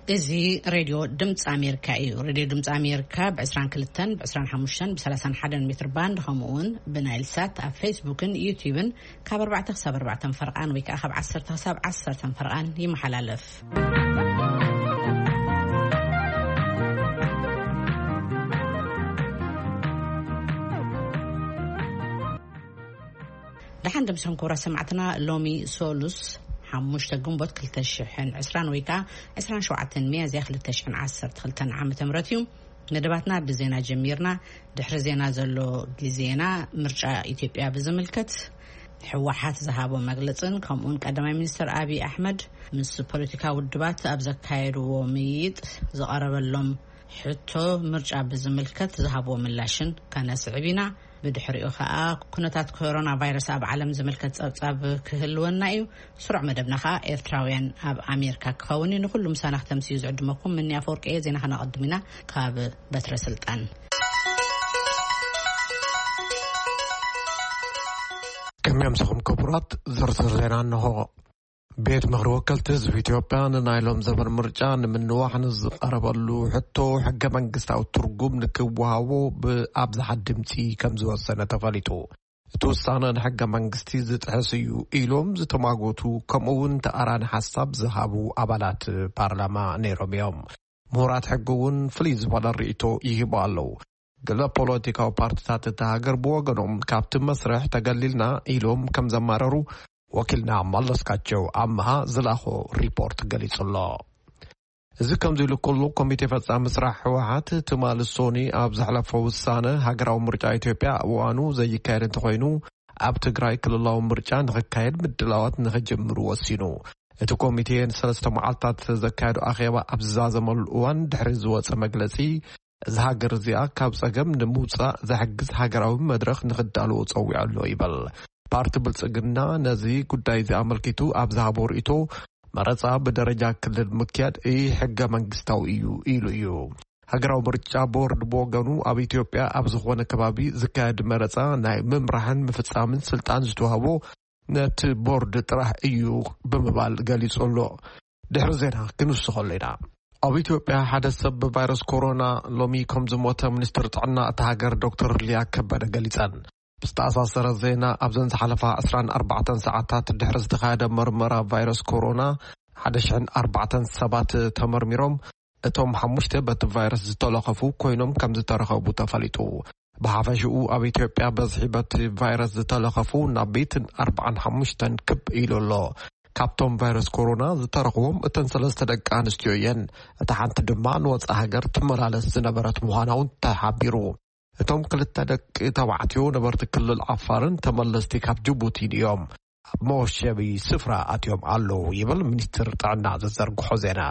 እዚ ሬድዮ ድምፂ ኣሜሪካ እዩ። ሬድዮ ድምፂ ኣሜሪካ ብ22፣ ብ25፣ ብ31 ሜትር ባንድ፣ ከምኡ እውን ብናይል ሳት ኣብ ፌስቡክን ዩቲዩብን ካብ ኣርባዕተ ክሳብ ኣርባዕተ ፈርቓን ወይ ከዓ ካብ ዓሰርተ ክሳብ ዓሰርተ ፈርቓን ይመሓላለፍ። ደሓን ደምሰን ክቡራት ሰማዕትና፣ ሎሚ ሶሉስ ሓሙሽተ ግንቦት ክልተ ሽሕን ዕስራን ወይ ከዓ ዕስራን ሸውዓተን ሚያዝያ ክልተ ሽሕን ዓሰርተ ክልተን ዓመተ ምህረት እዩ። መደባትና ብዜና ጀሚርና። ድሕሪ ዜና ዘሎ ግዜና ምርጫ ኢትዮጵያ ብዝምልከት ህወሓት ዝሃቦ መግለጽን ከምኡውን ቀዳማይ ሚኒስትር ኣብይ ኣሕመድ ምስ ፖለቲካ ውድባት ኣብ ዘካየድዎ ምይይጥ ዝቐረበሎም ሕቶ ምርጫ ብዝምልከት ዝሃብዎ ምላሽን ከነስዕብ ኢና። ብድሕሪኡ ኸኣ ኩነታት ኮሮና ቫይረስ ኣብ ዓለም ዝምልከት ጸብጻብ ክህልወና እዩ። ስሩዕ መደብና ኸኣ ኤርትራውያን ኣብ ኣሜሪካ ክኸውን እዩ። ንኹሉ ምሳና ክተምስዩ ዝዕድመኩም ምኒ ኣፈወርቂ እየ። ዜና ከነቐድም ኢና ካብ በትረ ስልጣን። ከመይ ኣምሰኹም ክቡራት፣ ዝርዝር ዜና እንሆ። ቤት ምኽሪ ወከልቲ ህዝቢ ኢትዮጵያ ንናይ ሎም ዘበን ምርጫ ንምንዋሕ ንዝቐረበሉ ሕቶ ሕገ መንግስታዊ ትርጉም ንክወሃቦ ብኣብዝሓ ድምፂ ከም ዝወሰነ ተፈሊጡ። እቲ ውሳነ ንሕገ መንግስቲ ዝጥሕስ እዩ ኢሎም ዝተማጎቱ፣ ከምኡ እውን ተኣራኒ ሓሳብ ዝሃቡ ኣባላት ፓርላማ ነይሮም እዮም። ምሁራት ሕጊ እውን ፍልይ ዝበለ ርእይቶ ይህቡ ኣለዉ። ገለ ፖለቲካዊ ፓርቲታት እታ ሃገር ብወገኖም ካብቲ መስርሕ ተገሊልና ኢሎም ከም ዘማረሩ ወኪልና መለስካቸው ኣምሃ ዝላኾ ሪፖርት ገሊጹ ኣሎ። እዚ ከምዚ ኢሉ ከሎ፣ ኮሚቴ ፈጻሚ ስራሕ ህወሓት ትማሊ ሶኒ ኣብ ዘሕለፎ ውሳነ ሃገራዊ ምርጫ ኢትዮጵያ ኣብ እዋኑ ዘይካየድ እንተኾይኑ፣ ኣብ ትግራይ ክልላዊ ምርጫ ንኽካየድ ምድላዋት ንኽጅምሩ ወሲኑ። እቲ ኮሚቴ ንሰለስተ መዓልታት ዘካየዶ ኣኼባ ኣብ ዝዛዘመሉ እዋን ድሕሪ ዝወጸ መግለጺ፣ እዛ ሃገር እዚኣ ካብ ጸገም ንምውጻእ ዘሕግዝ ሃገራዊ መድረኽ ንኽዳለዎ ጸዊዑ ኣሎ ይበል። ፓርቲ ብልጽግና ነዚ ጉዳይ እዚ ኣመልኪቱ ኣብ ዝሃቦ ርእይቶ፣ መረጻ ብደረጃ ክልል ምክያድ ኢ ሕገ መንግስታዊ እዩ ኢሉ እዩ። ሃገራዊ ምርጫ ቦርድ ብወገኑ፣ ኣብ ኢትዮጵያ ኣብ ዝኾነ ከባቢ ዝካየድ መረጻ ናይ ምምራሕን ምፍጻምን ስልጣን ዝተዋህቦ ነቲ ቦርድ ጥራሕ እዩ ብምባል ገሊጹ ኣሎ። ድሕሪ ዜና ክንውስኸሉ ኢና። ኣብ ኢትዮጵያ ሓደ ሰብ ብቫይረስ ኮሮና ሎሚ ከም ዝሞተ ሚኒስትር ጥዕና እታ ሃገር ዶክተር ሊያ ከበደ ገሊጸን። ብዝተኣሳሰረ ዜና፣ ኣብዘን ዝሓለፋ ዕስራን ኣርባዕተን ሰዓታት ድሕሪ ዝተኻየደ መርመራ ቫይረስ ኮሮና፣ ሓደ ሽሕን ኣርባዕተን ሰባት ተመርሚሮም፣ እቶም ሓሙሽተ በቲ ቫይረስ ዝተለኸፉ ኮይኖም ከም ዝተረኸቡ ተፈሊጡ። ብሓፈሽኡ ኣብ ኢትዮጵያ በዝሒ በቲ ቫይረስ ዝተለኸፉ ናብ ቤትን ኣርባዓን ሓሙሽተን ክብ ኢሉ ኣሎ። ካብቶም ቫይረስ ኮሮና ዝተረኽቦም እተን ሰለስተ ደቂ ኣንስትዮ እየን። እታ ሓንቲ ድማ ንወጻኢ ሃገር ትመላለስ ዝነበረት ምዃና እውን ተሓቢሩ። እቶም ክልተ ደቂ ተባዕትዮ ነበርቲ ክልል ዓፋርን ተመለስቲ ካብ ጅቡቲን እዮም። ኣብ መወሸቢ ስፍራ ኣትዮም ኣለዉ ይብል ሚኒስትር ጥዕና ዘዘርግሖ ዜና።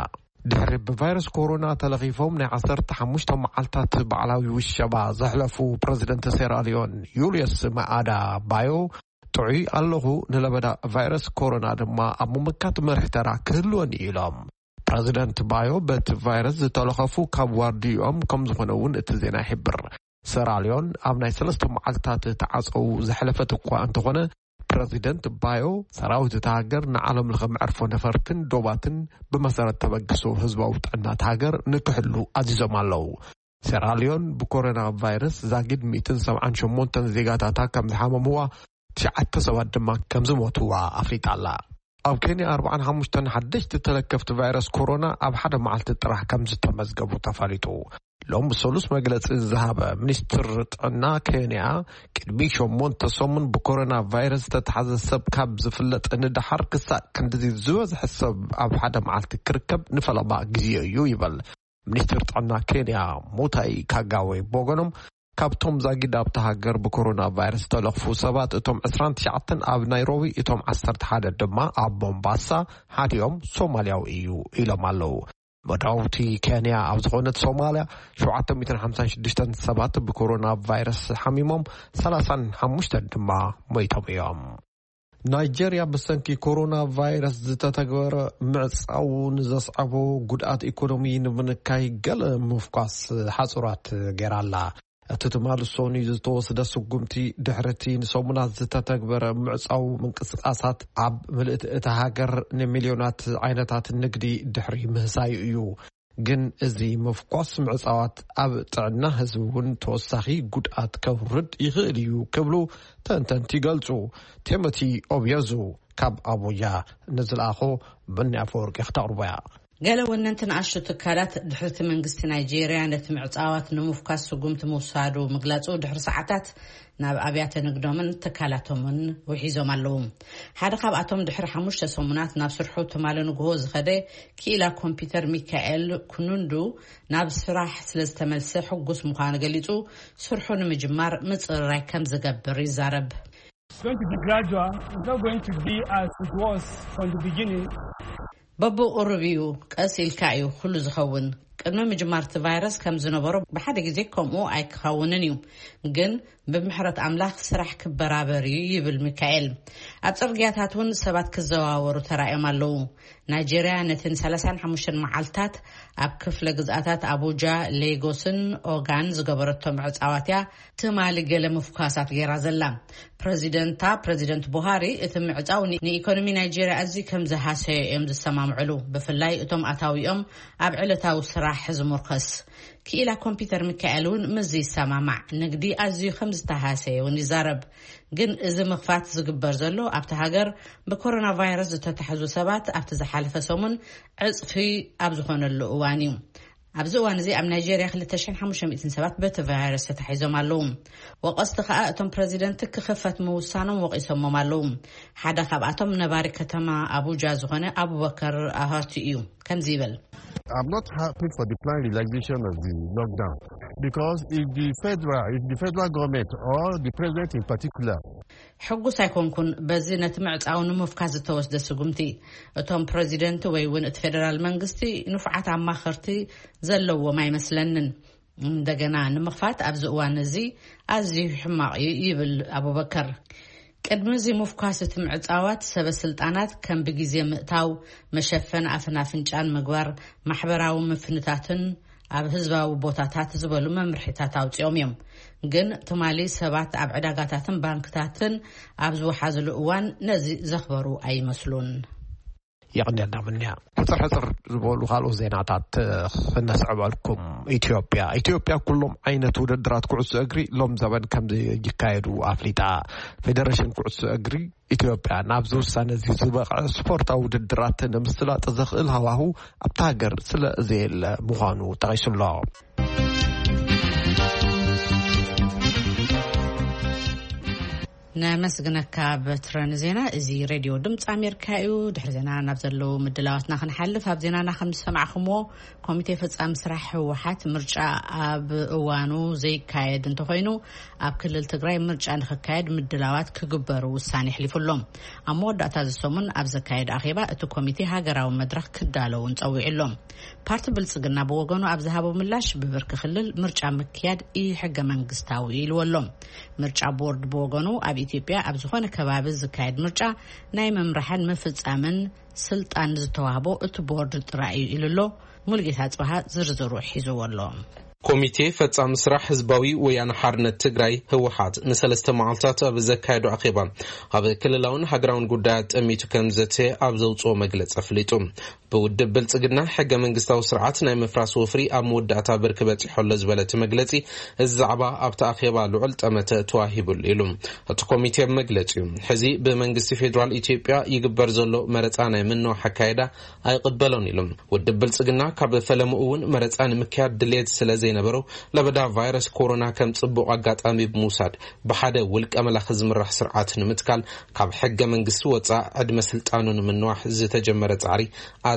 ድሕሪ ብቫይረስ ኮሮና ተለኺፎም ናይ ዓሰርተ ሓሙሽተ መዓልታት ባዕላዊ ውሸባ ዘሕለፉ ፕረዚደንት ሴራሊዮን ዩልዮስ ማኣዳ ባዮ፣ ጥዑይ ኣለኹ፣ ንለበዳ ቫይረስ ኮሮና ድማ ኣብ ምምካት መሪሕ ተራ ክህልወኒ ኢሎም። ፕረዚደንት ባዮ በቲ ቫይረስ ዝተለኸፉ ካብ ዋርድይኦም ከም ዝኾነ እውን እቲ ዜና ይሕብር። ሰራልዮን ኣብ ናይ ሰለስተ መዓልታት ተዓጸው ዘሕለፈት እኳ እንተኾነ፣ ፕረዚደንት ባዮ ሰራዊት እታ ሃገር ንዓለም ለኸ መዕርፎ ነፈርትን ዶባትን ብመሰረት ተበግሶ ህዝባዊ ጥዕና እታ ሃገር ንክሕሉ ኣዚዞም ኣለዉ። ሴራልዮን ብኮሮና ቫይረስ ዛጊድ ሚእትን ሰብዓን ሸሞንተን ዜጋታታ ከም ዝሓመምዋ፣ ትሽዓተ ሰባት ድማ ከም ዝሞትዋ ኣፍሊጣ ኣላ። ኣብ ኬንያ ኣርባዓን ሓሙሽተን ሓደሽቲ ተለከፍቲ ቫይረስ ኮሮና ኣብ ሓደ መዓልቲ ጥራሕ ከም ዝተመዝገቡ ተፈሊጡ። ሎም ሰሉስ መግለጺ ዝሃበ ሚኒስትር ጥዕና ኬንያ፣ ቅድሚ ሸሞንተ ሰሙን ብኮሮና ቫይረስ ዝተታሕዘ ሰብ ካብ ዝፍለጥ ንደሓር ክሳእ ክንድዚ ዝበዝሐ ሰብ ኣብ ሓደ መዓልቲ ክርከብ ንፈለማ ግዜ እዩ ይበል። ሚኒስትር ጥዕና ኬንያ ሙታይ ካጋዌ ብወገኖም፣ ካብቶም ዛጊድ ኣብታ ሃገር ብኮሮና ቫይረስ ዝተለኽፉ ሰባት እቶም ዕስራን ትሽዓተን ኣብ ናይሮቢ፣ እቶም ዓሰርተ ሓደ ድማ ኣብ ሞምባሳ፣ ሓዲኦም ሶማልያዊ እዩ ኢሎም ኣለዉ። መዳውቲ ኬንያ ኣብ ዝኾነት ሶማልያ፣ ሸውዓተ ሚእትን ሓምሳን ሽዱሽተን ሰባት ብኮሮና ቫይረስ ሓሚሞም፣ ሰላሳን ሓሙሽተን ድማ ሞይቶም እዮም። ናይጀርያ ብሰንኪ ኮሮና ቫይረስ ዝተተግበረ ምዕጻው ንዘስዓቦ ጉድኣት ኢኮኖሚ ንምንካይ ገለ ምፍኳስ ሓጹራት ገይራ ኣላ። እቲ ትማሊ ሰኑይ ዝተወስደ ስጉምቲ ድሕሪ እቲ ንሰሙናት ዝተተግበረ ምዕጻው ምንቅስቃሳት ኣብ ምልእቲ እታ ሃገር ንሚልዮናት ዓይነታት ንግዲ ድሕሪ ምህሳዩ እዩ። ግን እዚ ምፍኳስ ምዕጻዋት ኣብ ጥዕና ህዝቢ እውን ተወሳኺ ጉድኣት ከውርድ ይኽእል እዩ ክብሉ ተንተንቲ ይገልጹ። ቴሞቲ ኦብዮዙ ካብ ኣቡጃ ንዝለኣኾ ብኒ ኣፈወርቂ ክተቕርቦ እያ። ገለ ወነንቲ ንኣሽቱ ትካላት ድሕርቲ መንግስቲ ናይጄርያ ነቲ ምዕጻዋት ንምፍኳስ ስጉምቲ ምውሳዱ ምግላጹ ድሕሪ ሰዓታት ናብ ኣብያተ ንግዶምን ትካላቶምን ውሒዞም ኣለዉ። ሓደ ካብኣቶም ድሕሪ ሓሙሽተ ሰሙናት ናብ ስርሑ ትማሊ ንግሆ ዝኸደ ክኢላ ኮምፒውተር ሚካኤል ኩኑንዱ ናብ ስራሕ ስለ ዝተመልሰ ሕጉስ ምዃኑ ገሊጹ፣ ስርሑ ንምጅማር ምጽርራይ ከም ዝገብር ይዛረብ። It's going to be gradual. It's not going to be as it was from the beginning. በብቑሩብ እዩ፣ ቀስ ኢልካ እዩ ኩሉ ዝኸውን። ቅድሚ ምጅማር እቲ ቫይረስ ከም ዝነበሮ ብሓደ ግዜ ከምኡ ኣይክኸውንን እዩ፣ ግን ብምሕረት ኣምላኽ ስራሕ ክበራበር እዩ ይብል ሚካኤል። ኣብ ጽርግያታት እውን ሰባት ክዘዋወሩ ተራእዮም ኣለዉ። ናይጄርያ ነተን ሰላሳን ሓሙሽተን መዓልታት ኣብ ክፍለ ግዝኣታት ኣቡጃ፣ ሌጎስን ኦጋን ዝገበረቶ ምዕጻዋት እያ ትማሊ ገለ ምፍኳሳት ገይራ ዘላ። ፕረዚደንታ ፕረዚደንት ቡሃሪ እቲ ምዕጻው ን- ንኢኮኖሚ ናይጄርያ ኣዝዩ ከም ዝሃሰዮ እዮም ዝሰማምዕሉ፣ ብፍላይ እቶም ኣታዊኦም ኣብ ዕለታዊ ስራሕ ዝምርኮስ። ክኢላ ኮምፒውተር ሚካኤል እውን ምስዚ ይሰማማዕ። ንግዲ ኣዝዩ ከም ዝተሃሰየ እውን ይዛረብ። ግን እዚ ምኽፋት ዝግበር ዘሎ ኣብቲ ሃገር ብኮሮና ቫይረስ ዝተታሕዙ ሰባት ኣብቲ ዝሓለፈ ሰሙን ዕጽፊ ኣብ ዝኾነሉ እዋን እዩ። ኣብዚ እዋን እዚ ኣብ ናይጄርያ ክልተ ሽሕን ሓሙሽተ ሚእትን ሰባት በቲ ቫይረስ ተታሒዞም ኣለዉ። ወቐስቲ ከኣ እቶም ፕረዚደንት ክኽፈት ምውሳኖም ወቒሶሞም ኣለዉ። ሓደ ካብኣቶም ነባሪ ከተማ ኣቡጃ ዝኾነ ኣቡበከር ኣሃቱ እዩ። ከምዚ ይብል። I'm not happy for the planned relaxation of the lockdown because if the federal, if the federal government or the president in particular ሕጉስ ኣይኮንኩን በዚ ነቲ ምዕጻው ንምፍካስ ዝተወስደ ስጉምቲ። እቶም ፕረዚደንት ወይ እውን እቲ ፌደራል መንግስቲ ንፉዓት ኣማኸርቲ ዘለዎም ኣይመስለንን። እንደገና ንምኽፋት ኣብዚ እዋን እዚ ኣዝዩ ሕማቕ እዩ ይብል ኣቡበከር። ቅድሚ እዚ ምፍኳስ እቲ ምዕጻዋት ሰበ ስልጣናት ከም ብግዜ ምእታው፣ መሸፈን ኣፍን ኣፍንጫን ምግባር፣ ማሕበራዊ ምፍንታትን ኣብ ህዝባዊ ቦታታት ዝበሉ መምርሒታት ኣውጺኦም እዮም። ግን ትማሊ ሰባት ኣብ ዕዳጋታትን ባንክታትን ኣብ ዝወሓዝሉ እዋን ነዚ ዘኽበሩ ኣይመስሉን። የቐንየልና ምንያ። ሕጽር ሕጽር ዝበሉ ካልኦት ዜናታት ክነስዕበልኩም። ኢትዮጵያ ኢትዮጵያ ኩሎም ዓይነት ውድድራት ኩዕሶ እግሪ ሎም ዘበን ከም ይካየዱ ኣፍሊጣ። ፌደሬሽን ኩዕሶ እግሪ ኢትዮጵያ ናብዚ ውሳነ እዚ ዝበቕዐ ስፖርታዊ ውድድራት ንምስላጥ ዘኽእል ሃዋሁ ኣብታ ሃገር ስለ ዘየለ ምዃኑ ጠቒሱ ኣሎ። ነመስግነካ በትረ ንዜና። እዚ ሬድዮ ድምፂ ኣሜሪካ እዩ። ድሕሪ ዜና ናብ ዘለዉ ምድላዋትና ክንሓልፍ፣ ኣብ ዜናና ከም ዝሰማዕኹምዎ፣ ኮሚቴ ፈጻሚ ስራሕ ህወሓት ምርጫ ኣብ እዋኑ ዘይካየድ እንተኾይኑ፣ ኣብ ክልል ትግራይ ምርጫ ንክካየድ ምድላዋት ክግበሩ ውሳኔ ኣሕሊፉ ኣሎ። ኣብ መወዳእታ እዚ ሰሙን ኣብ ዘካየደ ኣኼባ እቲ ኮሚቴ ሃገራዊ መድረኽ ክዳለውን ጸዊዑ ኣሎ። ፓርቲ ብልጽግና ብወገኑ ኣብ ዝሃቦ ምላሽ፣ ብብርኪ ክልል ምርጫ ምክያድ ኢሕገ መንግስታዊ ኢልዎ ኣሎ። ምርጫ ቦርድ ብወገኑ ኣብ ኢትዮጵያ ኣብ ዝኾነ ከባቢ ዝካየድ ምርጫ ናይ ምምራሕን ምፍጻምን ስልጣን ዝተዋህቦ እቲ ቦርድ ጥራይ እዩ ኢሉ ኣሎ። ሙልጌታ ጽባሃ ዝርዝሩ ሒዝዎ ኣሎ። ኮሚቴ ፈጻሚ ስራሕ ህዝባዊ ወያነ ሓርነት ትግራይ ህወሓት ንሰለስተ መዓልታት ኣብ ዘካየዶ ኣኼባ፣ ኣብ ክልላውን ሃገራውን ጉዳያት ጠሚቱ ከም ዘተ ኣብ ዘውፅኦ መግለፂ ኣፍሊጡ። ብውድብ ብልፅግና ሕገ መንግስታዊ ስርዓት ናይ ምፍራስ ወፍሪ ኣብ መወዳእታ ብርኪ በፂሑ ኣሎ ዝበለ እቲ መግለፂ፣ እዚ ዛዕባ ኣብቲ ኣኼባ ልዑል ጠመተ ተዋሂቡሉ ኢሉ። እቲ ኮሚቴ ኣብ መግለፂኡ፣ ሕዚ ብመንግስቲ ፌዴራል ኢትዮጵያ ይግበር ዘሎ መረፃ ናይ ምንዋሕ ኣካየዳ ኣይቕበሎን ኢሉ። ውድብ ብልጽግና ካብ ፈለምኡ እውን መረጻ ንምክያድ ድሌት ስለ ዘይነበሮ፣ ለበዳ ቫይረስ ኮሮና ከም ጽቡቕ ኣጋጣሚ ብምውሳድ፣ ብሓደ ውልቀ መላኺ ዝምራሕ ስርዓት ንምትካል ካብ ሕገ መንግስቲ ወጻእ ዕድመ ስልጣኑ ንምንዋሕ ዝተጀመረ ጻዕሪ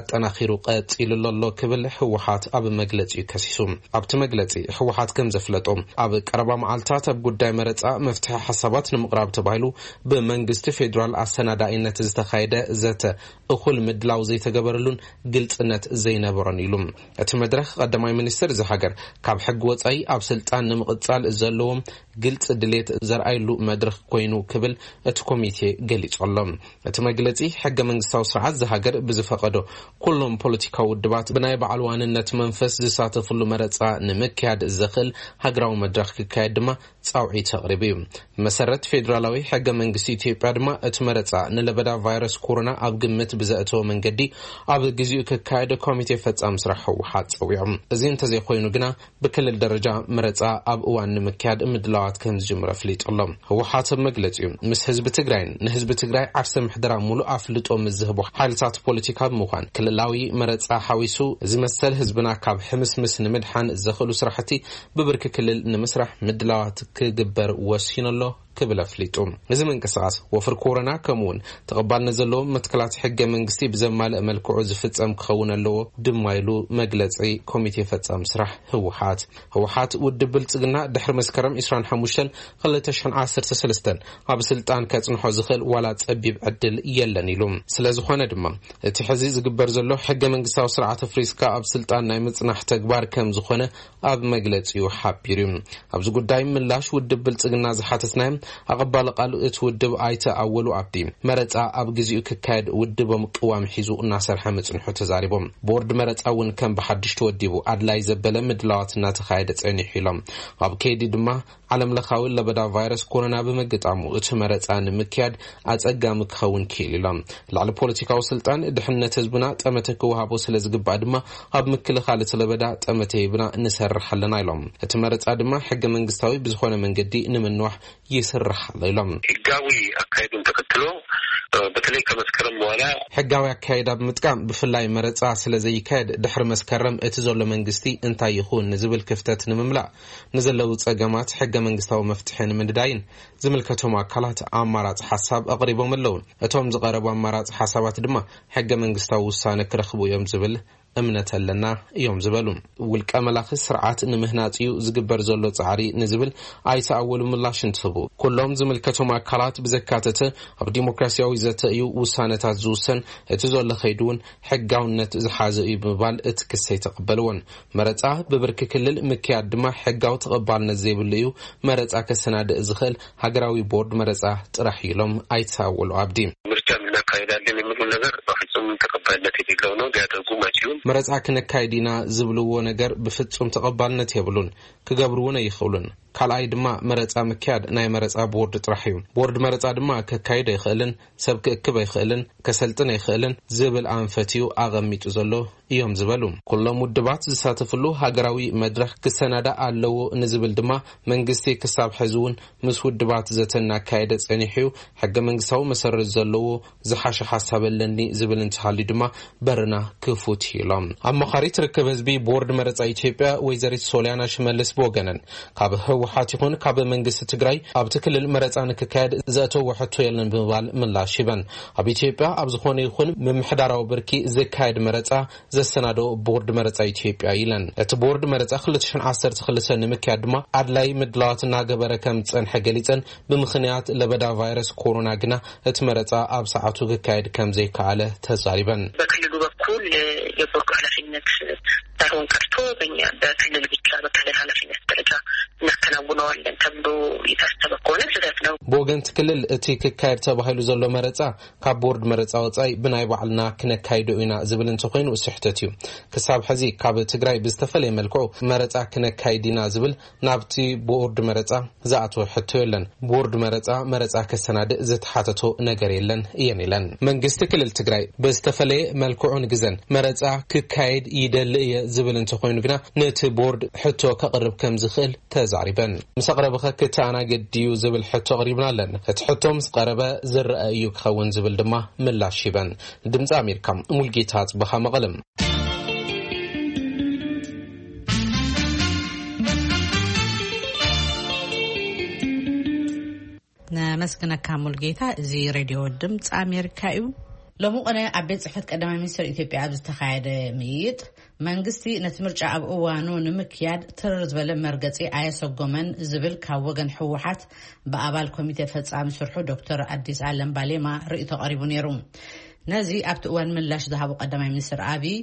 ኣጠናኺሩ ቀጺሉ ኣሎ ክብል ህወሓት ኣብ መግለጺኡ ከሲሱ። ኣብቲ መግለጺ ህወሓት ከም ዘፍለጦ፣ ኣብ ቀረባ መዓልታት ኣብ ጉዳይ መረጻ መፍትሒ ሓሳባት ንምቕራብ ተባሂሉ ብመንግስቲ ፌዴራል ኣሰናዳኢነት ዝተኻየደ ዘተ እኹል ምድላው ዘይተገበረሉን ግልጽነት ዘይነበሮን ኢሉ። እቲ መድረኽ ቀዳማይ ሚኒስትር እዚ ሃገር ካብ ሕጊ ወጻኢ ኣብ ስልጣን ንምቕጻል ዘለዎም ግልፂ ድሌት ዘርኣይሉ መድረኽ ኮይኑ ክብል እቲ ኮሚቴ ገሊጹ ኣሎ። እቲ መግለጺ፣ ሕገ መንግስታዊ ስርዓት ዝሃገር ብዝፈቐዶ ኩሎም ፖለቲካዊ ውድባት ብናይ በዓል ዋንነት መንፈስ ዝሳተፍሉ መረጻ ንምክያድ ዘኽእል ሃገራዊ መድረኽ ክካየድ ድማ ጻውዒት ኣቕሪቡ እዩ። ብመሰረት ፌዴራላዊ ሕገ መንግስቲ ኢትዮጵያ ድማ፣ እቲ መረጻ ንለበዳ ቫይረስ ኮሮና ኣብ ግምት ብዘእተወ መንገዲ ኣብ ግዚኡ ክካየድ ኮሚቴ ፈጻሚ ስራሕ ህወሓት ጸዊዖም። እዚ እንተዘይኮይኑ ግና፣ ብክልል ደረጃ መረጻ ኣብ እዋን ንምክያድ ምድላዋት ከም ዝጅምር ኣፍሊጡ ኣሎ። ህወሓት ኣብ መግለጺኡ፣ ምስ ህዝቢ ትግራይን ንህዝቢ ትግራይ ዓርሰ ምሕደራ ሙሉእ ኣፍልጦ ምስ ዝህቡ ሓይልታት ፖለቲካ ብምዃን፣ ክልላዊ መረጻ ሓዊሱ ዝመሰል ህዝብና ካብ ሕምስምስ ንምድሓን ዘኽእሉ ስራሕቲ ብብርኪ ክልል ንምስራሕ ምድላዋት ክግበር ወሲኑ ኣሎ ክብል ኣፍሊጡ። እዚ ምንቅስቃስ ወፍሪ ኮሮና፣ ከምኡውን ተቐባልነት ዘለዎ መትከላት ሕገ መንግስቲ ብዘማልእ መልክዑ ዝፍጸም ክኸውን ኣለዎ ድማ ኢሉ መግለጺ ኮሚቴ ፈጻሚ ስራሕ ህወሓት። ህወሓት፣ ውድብ ብልጽግና ድሕሪ መስከረም ዕስራን ሓሙሽተን ክልተ ሽሕን ዓሰርተ ሰለስተን ኣብ ስልጣን ከጽንሖ ዝኽእል ዋላ ጸቢብ ዕድል የለን ኢሉ። ስለ ዝኾነ ድማ፣ እቲ ሕዚ ዝግበር ዘሎ ሕገ መንግስታዊ ስርዓት ኣፍሪስካ ኣብ ስልጣን ናይ ምጽናሕ ተግባር ከም ዝኾነ ኣብ መግለጺኡ ሓቢሩ እዩ። ኣብዚ ጉዳይ ምላሽ ውድብ ብልጽግና ዝሓተትናዮም ኣቐባሊ ቃል እቲ ውድብ ኣይተ ኣወሉ ኣብዲ፣ መረጻ ኣብ ግዚኡ ክካየድ ውድቦም ቅዋም ሒዙ እናሰርሐ ምጽንሑ ተዛሪቦም። ቦርድ መረጻ እውን ከም ብሓድሽ ተወዲቡ ኣድላይ ዘበለ ምድላዋት እናተኻየደ ጸኒሑ ኢሎም። ኣብ ከይዲ ድማ ዓለም ለኻዊ ለበዳ ቫይረስ ኮሮና ብምግጣሙ፣ እቲ መረጻ ንምክያድ ኣጸጋሚ ክኸውን ክኢሉ ኢሎም። ልዕሊ ፖለቲካዊ ስልጣን፣ ድሕነት ህዝብና ጠመተ ክወሃቦ ስለ ዝግባእ ድማ፣ ኣብ ምክልኻል እቲ ለበዳ ጠመተ ሂብና ንሰርሕ ኣለና ኢሎም። እቲ መረጻ ድማ ሕገ መንግስታዊ ብዝኾነ መንገዲ ንምንዋሕ ይስራሕ ኣሎ ኢሎም። ህጋዊ አካሄዱን ተከትሎ፣ በተለይ ከመስከረም በኋላ ሕጋዊ ኣካየዳ ብምጥቃም፣ ብፍላይ መረጻ ስለ ዘይካየድ፣ ድሕሪ መስከረም እቲ ዘሎ መንግስቲ እንታይ ይኹን ንዝብል ክፍተት ንምምላእ፣ ንዘለዉ ጸገማት ሕገ መንግስታዊ መፍትሒ ንምንዳይን ዝምልከቶም ኣካላት ኣማራጺ ሓሳብ ኣቕሪቦም ኣለዉ። እቶም ዝቐረቡ ኣማራጺ ሓሳባት ድማ ሕገ መንግስታዊ ውሳነ ክረኽቡ እዮም ዝብል እምነት ኣለና እዮም ዝበሉ። ውልቀ መላኺ ስርዓት ንምህናጽ እዩ ዝግበር ዘሎ ጻዕሪ ንዝብል ኣይተ ኣወሉ ምላሽ እንትህቡ፣ ኩሎም ዝምልከቶም ኣካላት ብዘካተተ ኣብ ዲሞክራሲያዊ ዘተ እዩ ውሳነታት ዝውሰን፣ እቲ ዘሎ ከይዲ እውን ሕጋውነት ዝሓዘ እዩ ብምባል እቲ ክሲ ኣይተቐበልዎን። መረጻ ብብርኪ ክልል ምክያድ ድማ ሕጋዊ ተቐባልነት ዘይብሉ እዩ። መረጻ ከሰናድእ ዝኽእል ሃገራዊ ቦርድ መረጻ ጥራሕ እዩ ኢሎም ኣይተ ኣወሉ ኣብዲ። ምርጫ እናካሄዳለን የሚሉ ነገር በፍጹም ተቀባይነት የሌለው ነው። ሊያደርጉም አይችሉም። መረጻ ክነካይድ ኢና ዝብልዎ ነገር ብፍጹም ተቐባልነት የብሉን፣ ክገብርውን ኣይኽእሉን። ካልኣይ ድማ መረጻ ምክያድ ናይ መረጻ ቦርድ ጥራሕ እዩ። ቦርድ መረጻ ድማ ከካይድ ኣይኽእልን፣ ሰብ ክእክብ ኣይኽእልን፣ ከሰልጥን ኣይኽእልን ዝብል ኣንፈት እዩ ኣቐሚጡ ዘሎ እዮም ዝበሉ። ኩሎም ውድባት ዝሳተፍሉ ሃገራዊ መድረኽ ክሰናዳእ ኣለዎ ንዝብል ድማ መንግስቲ ክሳብ ሕዚ እውን ምስ ውድባት ዘተ እናካየደ ጸኒሑ እዩ። ሕገ መንግስታዊ መሰረት ዘለዎ ዝሓሸ ሓሳብ ኣለኒ ዝብል እንተሃልዩ ድማ በርና ክፉት እዩ ኢሎም። ኣማኻሪት ርክብ ህዝቢ ቦርድ መረጻ ኢትዮጵያ ወይዘሪት ሶሊያና ሽመልስ ብወገነን፣ ካብ ህወሓት ይኹን ካብ መንግስቲ ትግራይ ኣብቲ ክልል መረጻ ንክካየድ ዘእተዎ ሕቶ የለን ብምባል ምላሽ ሂበን። ኣብ ኢትዮጵያ ኣብ ዝኾነ ይኹን ምምሕዳራዊ ብርኪ ዝካየድ መረጻ ዘሰናዶ ቦርድ መረጻ ኢትዮጵያ ኢለን። እቲ ቦርድ መረጻ ክልተ ሽሕን ዓሰርተ ክልተን ንምክያድ ድማ ኣድላይ ምድላዋት እናገበረ ከም ዝጸንሐ ገሊጸን፣ ብምኽንያት ለበዳ ቫይረስ ኮሮና ግና እቲ መረጻ ኣብ ሰዓቱ ክካየድ ከም ዘይከኣለ ተዛሪበን። በክልሉ በኩል የቦርዱ ኃላፊነት ሳይሆን ቀርቶ በእኛ በክልል ብቻ በክልል ኃላፊነት ደረጃ እናከናውነዋለን ተብሎ የታሰበ ከሆነ ስህተት ነው። ብወገን እቲ ክልል እቲ ክካየድ ተባሂሉ ዘሎ መረጻ ካብ ቦርድ መረጻ ወጻኢ ብናይ ባዕልና ክነካይዶ ኢና ዝብል እንተኾይኑ ስሕተት እዩ። ክሳብ ሕዚ ካብ ትግራይ ብዝተፈለየ መልክዑ መረጻ ክነካይድ ኢና ዝብል ናብቲ ቦርድ መረጻ ዝኣተወ ሕቶ የለን። ቦርድ መረጻ መረጻ ከሰናድእ ዝተሓተቶ ነገር የለን እየን ኢለን። መንግስቲ ክልል ትግራይ ብዝተፈለየ መልክዑን ግዘን መረጻ ክካየድ ይደሊ እየ ዝብል እንተኾይኑ ግና ነቲ ቦርድ ሕቶ ከቕርብ ከም ዝኽእል ተዛሪበን። ምስ ኣቕረብኸ ክተኣናገድ ድዩ ዝብል ሕቶ ኣቕሪብና ኣለን። እቲ ሕቶ ምስ ቀረበ ዝረአ እዩ ክኸውን ዝብል ድማ ምላሽ ሂበን። ድምፂ ኣሜሪካ፣ ሙልጌታ ኣፅበኻ፣ መቐለም። ነመስግነካ ሙልጌታ። እዚ ሬድዮ ድምፂ ኣሜሪካ እዩ። ሎሚ ቅነ ኣብ ቤት ጽሕፈት ቀዳማይ ሚኒስትር ኢትዮጵያ ኣብ ዝተኻየደ ምይይጥ፣ መንግስቲ ነቲ ምርጫ ኣብ እዋኑ ንምክያድ ትርር ዝበለ መርገጺ ኣየሰጎመን ዝብል ካብ ወገን ህወሓት ብኣባል ኮሚቴ ፈጻሚ ስርሑ ዶክተር ኣዲስ ኣለም ባሌማ ርእይቶ ቀሪቡ ነይሩ። ነዚ ኣብቲ እዋን ምላሽ ዝሃቡ ቀዳማይ ሚኒስትር ኣብይ፣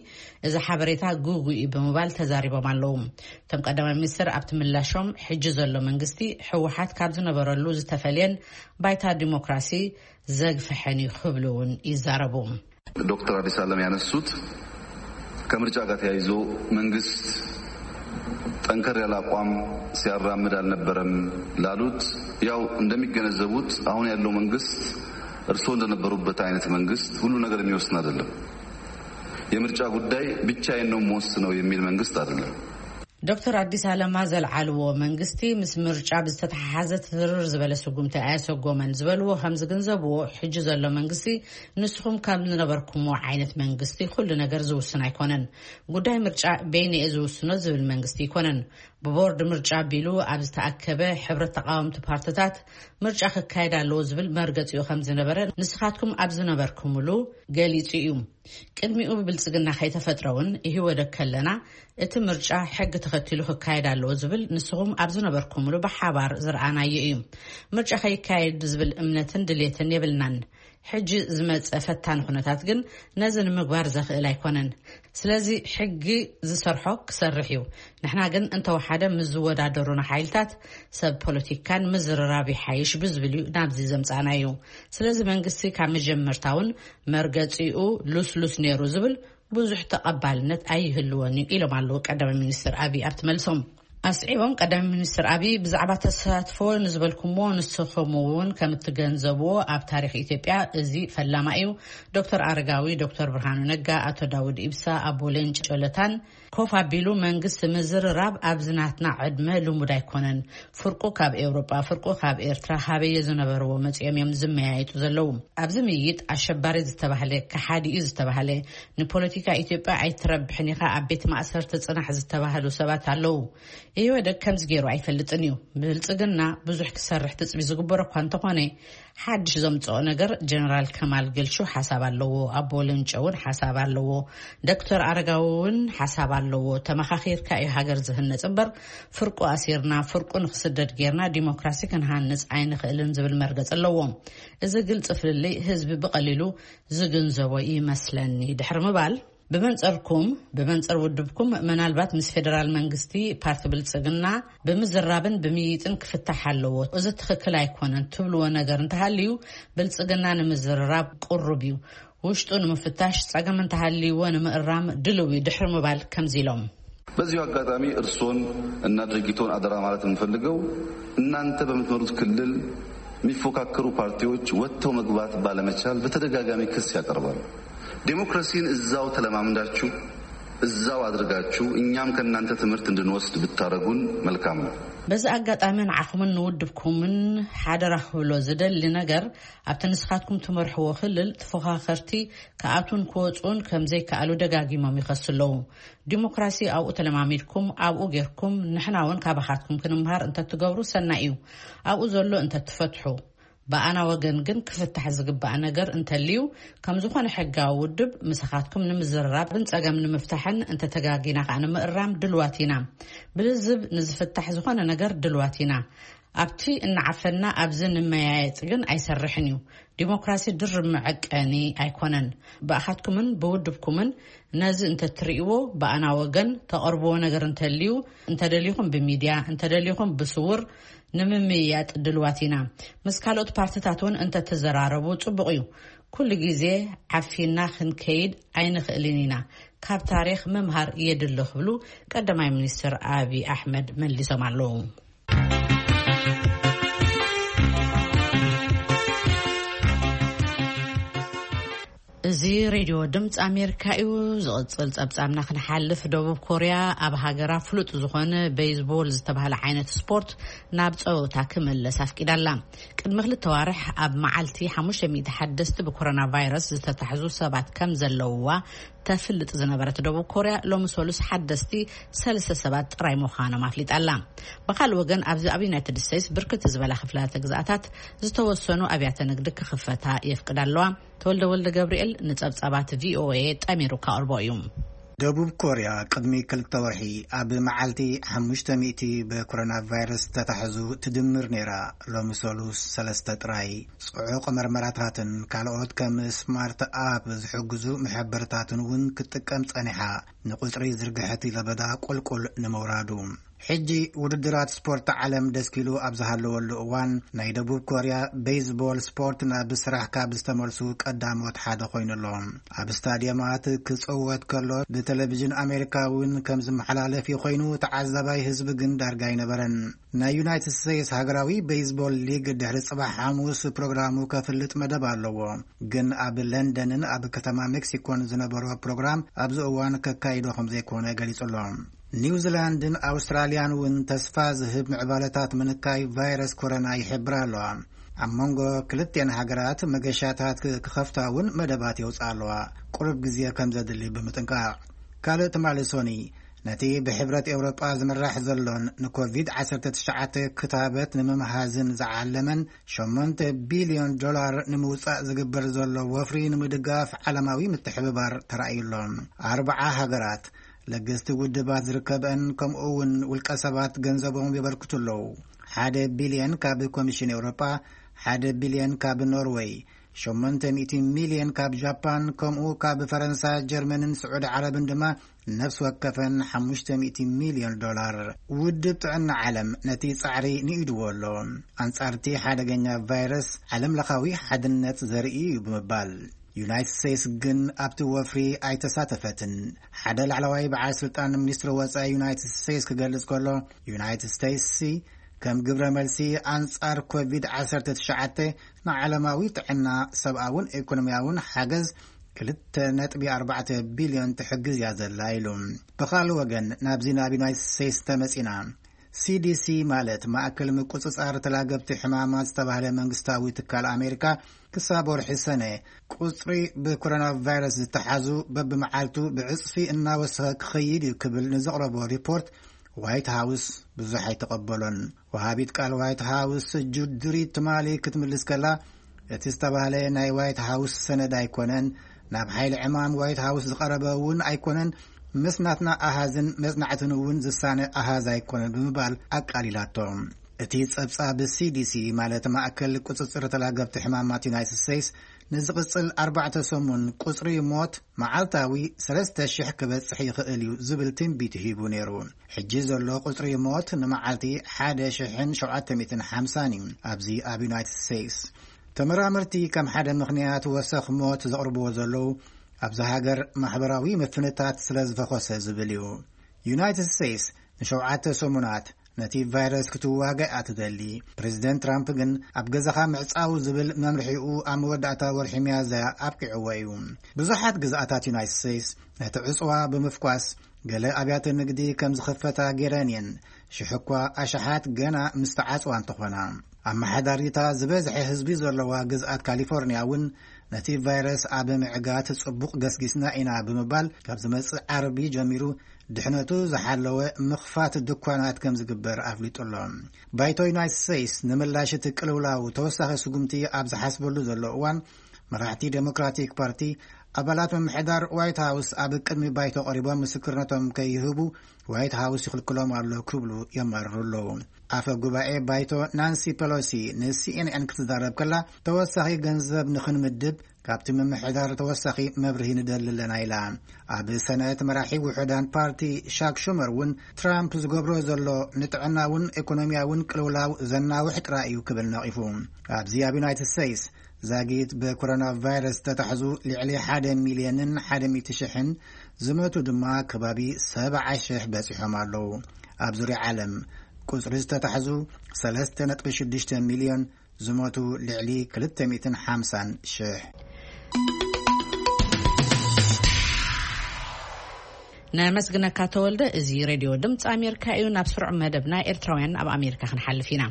እዚ ሓበሬታ ግጉይ እዩ ብምባል ተዛሪቦም ኣለዉ። እቶም ቀዳማይ ሚኒስትር ኣብቲ ምላሾም፣ ሕጂ ዘሎ መንግስቲ ህወሓት ካብ ዝነበረሉ ዝተፈልየን ባይታ ዲሞክራሲ ዘግፍሐን እዩ ክብሉ እውን ይዛረቡ። ዶክተር አዲስ አለም ያነሱት ከምርጫ ጋር ተያይዞ መንግስት ጠንከር ያለ አቋም ሲያራምድ አልነበረም ላሉት፣ ያው እንደሚገነዘቡት አሁን ያለው መንግስት እርስዎ እንደነበሩበት አይነት መንግስት ሁሉ ነገር የሚወስን አይደለም። የምርጫ ጉዳይ ብቻዬን ነው የምወስነው የሚል መንግስት አይደለም። ዶክተር አዲስ አለማ ዘልዓልዎ፣ መንግስቲ ምስ ምርጫ ብዝተተሓሓዘ ትርር ዝበለ ስጉምቲ ኣየሰጎመን ዝበልዎ ከም ዝግንዘብዎ፣ ሕጂ ዘሎ መንግስቲ ንስኹም ካብ ዝነበርኩምዎ ዓይነት መንግስቲ ኩሉ ነገር ዝውስን ኣይኮነን። ጉዳይ ምርጫ በይነ እየ ዝውስኖ ዝብል መንግስቲ ኣይኮነን። ብቦርድ ምርጫ ኣቢሉ ኣብ ዝተኣከበ ሕብረት ተቃወምቲ ፓርትታት ምርጫ ክካየድ ኣለዎ ዝብል መርገፂኡ ከም ዝነበረ ንስኻትኩም ኣብ ዝነበርኩምሉ ገሊፁ እዩ። ቅድሚኡ ብብልፅግና ከይተፈጥረ እውን ኢህወደግ ከለና እቲ ምርጫ ሕጊ ተኸቲሉ ክካየድ ኣለዎ ዝብል ንስኹም ኣብ ዝነበርኩምሉ ብሓባር ዝረኣናዮ እዩ። ምርጫ ከይካየድ ዝብል እምነትን ድሌትን የብልናን። ሕጂ ዝመፀ ፈታኒ ኩነታት ግን ነዚ ንምግባር ዘኽእል ኣይኮነን። ስለዚ ሕጊ ዝሰርሖ ክሰርሕ እዩ። ንሕና ግን እንተወሓደ ምስ ዝወዳደሩና ሓይልታት ሰብ ፖለቲካን ምዝርራብ ይሓይሽ ብዝብል እዩ ናብዚ ዘምፃእና እዩ። ስለዚ መንግስቲ ካብ መጀመርታ እውን መርገፂኡ ሉስሉስ ነይሩ ዝብል ብዙሕ ተቐባልነት ኣይህልወን እዩ ኢሎም ኣለዉ ቀዳማይ ሚኒስትር ኣብይ ኣብቲ መልሶም። ኣስዒቦም ቀዳማይ ሚኒስትር ኣብይ ብዛዕባ ተሳትፎ ንዝበልኩሞ ንስኹም እውን ከም እትገንዘብዎ ኣብ ታሪኽ ኢትዮጵያ እዚ ፈላማ እዩ። ዶክተር ኣረጋዊ፣ ዶክተር ብርሃኑ ነጋ፣ ኣቶ ዳውድ ኢብሳ፣ ኣቦ ሌንጮ ለታን ኮፍ ኣቢሉ መንግስቲ ምዝርራብ ኣብዚ ናትና ዕድመ ልሙድ ኣይኮነን። ፍርቁ ካብ ኤውሮጳ፣ ፍርቁ ካብ ኤርትራ፣ ሃበየ ዝነበርዎ መጺኦም እዮም ዝመያየጡ ዘለዉ። ኣብዚ ምይይጥ ኣሸባሪ ዝተባህለ፣ ከሓዲ እዩ ዝተባህለ፣ ንፖለቲካ ኢትዮጵያ ኣይትረብሕን ኢኻ፣ ኣብ ቤት ማእሰርቲ ጽናሕ ዝተባህሉ ሰባት ኣለዉ። ኢህወደግ ከምዚ ገይሩ ኣይፈልጥን እዩ። ብልጽግና ብዙሕ ክሰርሕ ትጽቢ ዝግበሮ እኳ እንተኾነ፣ ሓድሽ ዘምጽኦ ነገር፣ ጀነራል ከማል ገልሹ ሓሳብ ኣለዎ፣ ኣቦ ሌንጮ እውን ሓሳብ ኣለዎ፣ ዶክተር ኣረጋዊ እውን ሓሳብ ኣለዎ። ተመኻኺርካ እዩ ሃገር ዝህነጽ እምበር፣ ፍርቁ ኣሲርና፣ ፍርቁ ንክስደድ ጌርና ዲሞክራሲ ክንሃንጽ ኣይንኽእልን ዝብል መርገጽ ኣለዎም። እዚ ግልጺ ፍልልይ ህዝቢ ብቐሊሉ ዝግንዘቦ ይመስለኒ ድሕሪ ምባል፣ ብመንጸርኩም፣ ብመንጸር ውድብኩም፣ ምናልባት ምስ ፌደራል መንግስቲ ፓርቲ ብልጽግና ብምዝራብን ብምይይጥን ክፍታሕ ኣለዎ። እዚ ትኽክል ኣይኮነን ትብልዎ ነገር እንተሃልዩ፣ ብልጽግና ንምዝርራብ ቅሩብ እዩ። ውሽጡ ንምፍታሽ፣ ጸገም እንተሃልይዎ ንምእራም ድልው እዩ ድሕሪ ምባል ከምዚ ኢሎም። በዚሁ አጋጣሚ እርሶን እና ድርጅቶን አደራ ማለት የምፈልገው፣ እናንተ በምትመሩት ክልል የሚፎካከሩ ፓርቲዎች ወጥተው መግባት ባለመቻል በተደጋጋሚ ክስ ያቀርባሉ። ዴሞክራሲን እዛው ተለማምዳችሁ እዛው አድርጋችሁ እኛም ከእናንተ ትምህርት እንድንወስድ ብታረጉን መልካም ነው። በዚ ኣጋጣሚ ንዓኹምን ንውድብኩምን ሓደራ ክብሎ ዝደሊ ነገር፣ ኣብቲ ንስኻትኩም ትመርሕዎ ክልል ተፎኻኸርቲ ክኣትዉን ክወፅኡን ከም ዘይከኣሉ ደጋጊሞም ይኸሱ ኣለዉ። ዲሞክራሲ ኣብኡ ተለማሚድኩም፣ ኣብኡ ጌርኩም፣ ንሕና እውን ካባኻትኩም ክንምሃር እንተትገብሩ ሰናይ እዩ። ኣብኡ ዘሎ እንተትፈትሑ። ብኣና ወገን ግን ክፍታሕ ዝግባእ ነገር እንተልዩ፣ ከም ዝኾነ ሕጋዊ ውድብ ምሳኻትኩም ንምዝርራብን ጸገም ንምፍታሕን፣ እንተተጋጊና ከኣ ንምእራም ድልዋት ኢና። ብልዝብ ንዝፍታሕ ዝኾነ ነገር ድልዋት ኢና። ኣብቲ እናዓፈና ኣብዚ ንመያየጥ ግን ኣይሰርሕን እዩ። ዲሞክራሲ ድርብ መዐቀኒ ኣይኮነን። ብኣኻትኩምን ብውድብኩምን ነዚ እንተትርእይዎ፣ ብኣና ወገን ተቐርብዎ ነገር እንተልዩ፣ እንተደሊኹም ብሚድያ፣ እንተደሊኹም ብስውር ንምምይያጥ ድልዋት ኢና። ምስ ካልኦት ፓርትታት እውን እንተትዘራረቡ ጽቡቕ እዩ። ኩሉ ግዜ ዓፊና ክንከይድ ኣይንኽእልን ኢና። ካብ ታሪኽ ምምሃር የድሊ ክብሉ ቀዳማይ ሚኒስትር ኣብይ ኣሕመድ መሊሶም ኣለዉ። እዚ ሬድዮ ድምፂ ኣሜሪካ እዩ። ዝቕፅል ፀብፃብና ክንሓልፍ፣ ደቡብ ኮርያ ኣብ ሃገራ ፍሉጥ ዝኾነ ቤይዝቦል ዝተባህለ ዓይነት ስፖርት ናብ ፀወታ ክምለስ ኣፍቂዳላ። ቅድሚ ክልተ ዋርሕ ኣብ መዓልቲ ሓሙሽተ ሚእቲ ሓደስቲ ብኮሮና ቫይረስ ዝተታሕዙ ሰባት ከም ዘለውዋ ተፍልጥ ዝነበረት ደቡብ ኮርያ፣ ሎሚ ሰሉስ ሓደስቲ ሰለስተ ሰባት ጥራይ ምዃኖም ኣፍሊጣ ኣላ። ብኻልእ ወገን፣ ኣብዚ ኣብ ዩናይትድ ስቴትስ ብርክት ዝበላ ክፍላተ ግዝኣታት ዝተወሰኑ ኣብያተ ንግዲ ክኽፈታ የፍቅዳ ኣለዋ። ተወልደ ወልደ ገብርኤል ንጸብጻባት ቪኦኤ ጠሚሩ ከቕርቦ እዩ። ደቡብ ኮርያ ቅድሚ ክልተ ወርሒ ኣብ መዓልቲ ሓሙሽተ ሚእቲ ብኮሮና ቫይረስ ተታሕዙ ትድምር ነይራ። ሎሚ ሰሉስ ሰለስተ ጥራይ። ጽዑቕ መርመራታትን ካልኦት ከም ስማርት ኣፕ ዝሕግዙ መሐበርታትን እውን ክትጥቀም ጸኒሓ፣ ንቁጽሪ ዝርግሐቲ ለበዳ ቁልቁል ንምውራዱ። ሕጂ ውድድራት ስፖርት ዓለም ደስኪሉ ኣብ ዝሃለወሉ እዋን፣ ናይ ደቡብ ኮርያ ቤዝቦል ስፖርት ናብ ስራሕ ካብ ዝተመልሱ ቀዳሞት ሓደ ኮይኑ ኣሎ። ኣብ ስታድየማት ክጽወት ከሎ ብቴሌቪዥን ኣሜሪካ እውን ከም ዝመሓላለፍ ኮይኑ፣ ተዓዛባይ ህዝቢ ግን ዳርጋ ኣይነበረን። ናይ ዩናይትድ ስቴትስ ሃገራዊ ቤዝቦል ሊግ ድሕሪ ጽባሕ ሓሙስ ፕሮግራሙ ከፍልጥ መደብ ኣለዎ። ግን ኣብ ለንደንን ኣብ ከተማ ሜክሲኮን ዝነበሮ ፕሮግራም ኣብዚ እዋን ከካይዶ ከም ዘይኮነ ገሊጹ ኣሎ። ኒውዚላንድን ኣውስትራልያን እውን ተስፋ ዝህብ ምዕባለታት ምንካይ ቫይረስ ኮሮና ይሕብራ ኣለዋ። ኣብ መንጎ ክልቴን ሃገራት መገሻታት ክኸፍታ እውን መደባት የውፅኣ ኣለዋ፣ ቁሩብ ግዜ ከም ዘድሊ ብምጥንቃቕ። ካልእ ትማሊ ሶኒ፣ ነቲ ብሕብረት ኤውሮጳ ዝምራሕ ዘሎን ንኮቪድ ዓሰርተ ትሽዓተ ክታበት ንምምሃዝን ዝዓለመን ሸሞንተ ቢልዮን ዶላር ንምውጻእ ዝግበር ዘሎ ወፍሪ ንምድጋፍ ዓለማዊ ምትሕብባር ተራእዩ ኣሎ። ኣርብዓ ሃገራት፣ ለገስቲ ውድባት ዝርከበን ከምኡ እውን ውልቀ ሰባት ገንዘቦም የበርክቱ ኣለዉ። ሓደ ቢልዮን ካብ ኮሚሽን ኤውሮጳ፣ ሓደ ቢልዮን ካብ ኖርወይ፣ ሸሞንተ ሚእቲ ሚልዮን ካብ ጃፓን፣ ከምኡ ካብ ፈረንሳ፣ ጀርመንን ስዑዲ ዓረብን ድማ ነፍሲ ወከፈን ሓሙሽተ ሚእቲ ሚልዮን ዶላር። ውድብ ጥዕና ዓለም ነቲ ጻዕሪ ንኢድዎ ኣሎ። ኣንጻርቲ ሓደገኛ ቫይረስ ዓለም ለኻዊ ሓድነት ዘርኢ እዩ ብምባል፣ ዩናይትድ ስቴትስ ግን ኣብቲ ወፍሪ ኣይተሳተፈትን። ሓደ ላዕለዋይ በዓል ስልጣን ሚኒስትሪ ወጻኢ ዩናይትድ ስቴትስ ክገልጽ ከሎ፣ ዩናይትድ ስቴትስ ከም ግብረ መልሲ ኣንጻር ኮቪድ ዓሰርተ ትሽዓተ ንዓለማዊ ጥዕና፣ ሰብኣውን ኢኮኖሚያውን ሓገዝ ክልተ ነጥቢ ኣርባዕተ ቢልዮን ትሕግዝ እያ ዘላ ኢሉ። ብኻልእ ወገን፣ ናብዚ ናብ ዩናይትድ ስቴትስ ተመጺና። ሲ ዲ ሲ ማለት ማእከል ምቁጽጻር ተላገብቲ ሕማማት ዝተባህለ መንግስታዊ ትካል ኣሜሪካ፣ ክሳብ ወርሒ ሰነ ቁጽሪ ብኮሮና ቫይረስ ዝተሓዙ በብመዓልቱ ብዕጽፊ እናወሰኸ ክኸይድ እዩ ክብል ንዘቕረቦ ሪፖርት ዋይት ሃውስ ብዙሕ ኣይተቐበሎን። ወሃቢት ቃል ዋይት ሃውስ ጁድ ድሪ ትማሊ ክትምልስ ከላ፣ እቲ ዝተባህለ ናይ ዋይት ሃውስ ሰነድ ኣይኮነን፣ ናብ ሓይሊ ዕማም ዋይት ሃውስ ዝቐረበ እውን ኣይኮነን፣ ምስ ናትና ኣሃዝን መጽናዕትን እውን ዝሳነ ኣሃዝ ኣይኮነን ብምባል ኣቃሊላቶ። እቲ ጸብጻብ ሲ ዲ ሲ ማለት ማእከል ቁጽጽር ተላገብቲ ሕማማት ዩናይትድ ስቴትስ ንዝቕጽል ኣርባዕተ ሰሙን ቁጽሪ ሞት መዓልታዊ ሰለስተ ሽሕ ክበጽሕ ይኽእል እዩ ዝብል ትንቢት ሂቡ ነይሩ። ሕጂ ዘሎ ቁጽሪ ሞት ንመዓልቲ ሓደ ሽሕን ሸውዓተ ሚእትን ሓምሳን እዩ ኣብዚ ኣብ ዩናይትድ ስቴትስ። ተመራመርቲ ከም ሓደ ምኽንያት ወሰኽ ሞት ዘቕርብዎ ዘለዉ፣ ኣብዚ ሃገር ማሕበራዊ ምፍንታት ስለ ዝፈኾሰ ዝብል እዩ። ዩናይትድ ስቴትስ ንሸውዓተ ሰሙናት ነቲ ቫይረስ ክትዋጋእ እያ ትደሊ። ፕሬዚደንት ትራምፕ ግን ኣብ ገዛኻ ምዕጻው ዝብል መምርሒኡ ኣብ መወዳእታ ወርሒ ሚያዝያ ኣብቂዕዎ እዩ። ብዙሓት ግዝኣታት ዩናይትድ ስቴትስ ነቲ ዕጽዋ ብምፍኳስ፣ ገለ ኣብያተ ንግዲ ከም ዝኸፈታ ገይረን እየን። ሽሕ እኳ ኣሽሓት ገና ምስ ተዓጽዋ እንተኾና። ኣመሓዳሪታ ዝበዝሐ ህዝቢ ዘለዋ ግዝኣት ካሊፎርኒያ እውን ነቲ ቫይረስ ኣብ ምዕጋት ጽቡቕ ገስጊስና ኢና ብምባል፣ ካብ ዝመጽእ ዓርቢ ጀሚሩ ድሕነቱ ዝሓለወ ምኽፋት ድኳናት ከም ዝግበር ኣፍሊጡ ኣሎ። ባይቶ ዩናይትድ ስቴትስ ንምላሽ እቲ ቅልውላው ተወሳኺ ስጉምቲ ኣብ ዝሓስበሉ ዘሎ እዋን፣ መራሕቲ ዴሞክራቲክ ፓርቲ፣ ኣባላት ምምሕዳር ዋይት ሃውስ ኣብ ቅድሚ ባይቶ ቀሪቦም ምስክርነቶም ከይህቡ ዋይት ሃውስ ይኽልክሎም ኣሎ ክብሉ የማርሩ ኣለዉ። ኣፈ ጉባኤ ባይቶ ናንሲ ፔሎሲ ን ሲ ኤን ኤን ክትዛረብ ከላ፣ ተወሳኺ ገንዘብ ንኽንምድብ ካብቲ ምምሕዳር ተወሳኺ መብርሂ ንደሊ ኣለና ኢላ። ኣብ ሰነት መራሒ ውሑዳን ፓርቲ ሻክ ሹመር እውን ትራምፕ ዝገብሮ ዘሎ ንጥዕናውን ኢኮኖሚያውን ቅልውላው ዘናውሕ ጥራይ እዩ ክብል ነቒፉ። ኣብዚ ኣብ ዩናይትድ ስቴትስ ዛጊት ብኮሮና ቫይረስ ዝተታሕዙ ልዕሊ ሓደ ሚልዮንን ሓደ ሚእቲ ሽሕን፣ ዝመቱ ድማ ከባቢ ሰብዓ ሽሕ በጺሖም ኣለዉ። ኣብ ዙርያ ዓለም ቁጽሪ ዝተታሕዙ ሰለስተ ነጥቢ ሽዱሽተ ሚልዮን፣ ዝሞቱ ልዕሊ ክልተ ሚእትን ሓምሳን ሽሕ። ነመስግነካ ተወልደ። እዚ ሬድዮ ድምፂ ኣሜሪካ እዩ። ናብ ስሩዕ መደብና ኤርትራውያን ኣብ ኣሜሪካ ክንሓልፍ ኢና።